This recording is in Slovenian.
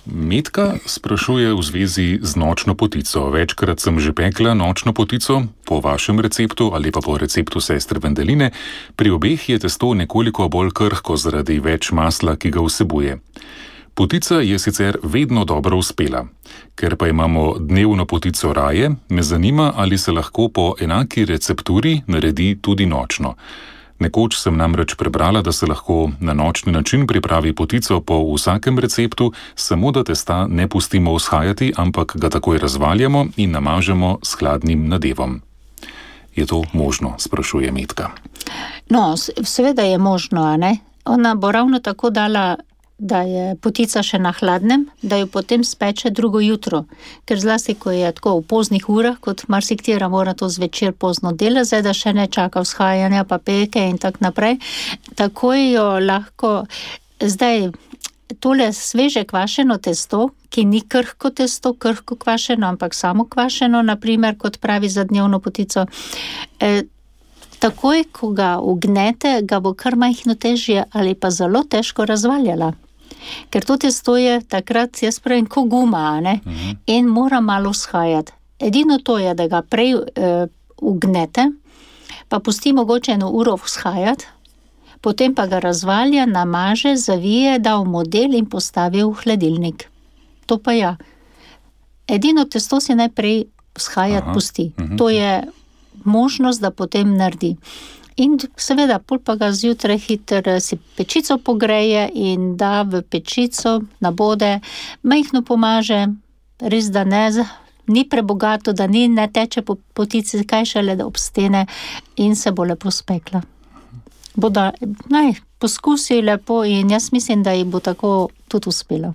Metka sprašuje v zvezi z nočno potico. Večkrat sem že pekla nočno potico, po vašem receptu ali pa po receptu sestre Vendeline. Pri obeh je testo nekoliko bolj krhko zaradi več masla, ki ga vsebuje. Potica je sicer vedno dobro uspela. Ker pa imamo dnevno potico raje, me zanima, ali se lahko po enaki recepturi naredi tudi nočno. Nekoč sem namreč prebrala, da se lahko na nočni način pripravi potico po vsakem receptu, samo da testa ne pustimo vzhajati, ampak ga takoj razvaljamo in namažemo s hladnim nadevom. Je to možno, sprašuje Metka. No, seveda je možno, a ne? Ona bo ravno tako dala, da je potica še na hladnem, da jo potem speče drugo jutro. Ker zlasti, ko je tako v poznih urah, kot marsiktera mora to zvečer pozno dela, zdaj da še ne čaka vzhajanja, pa peke in tak naprej, takoj jo lahko, zdaj tole sveže kvašeno testo, ki ni krhko testo, krhko kvašeno, ampak samo kvašeno, naprimer, kot pravi za dnevno potico, takoj, ko ga ugnete, ga bo kar majhno težje ali pa zelo težko razvaljala. Ker to testo je takrat, jaz pravim, ko guma, ne? In mora malo vzhajati. Edino to je, da ga prej ugnete, pa pusti mogoče 1 uro vzhajati, potem pa ga razvalja, namaže, zavije, da v model in postavi v hladilnik. To pa ja. Edino testo si najprej vzhajati pusti. To je možnost, da potem naredi. In seveda, pol pa ga zjutraj hitro si pečico pogreje in da v pečico nabode, majhno pomaže, res da ni prebogato, da ne teče po potici, kaj šele da obstene in se bo lepo spekla. Poskusi lepo in jaz mislim, da ji bo tako tudi uspelo.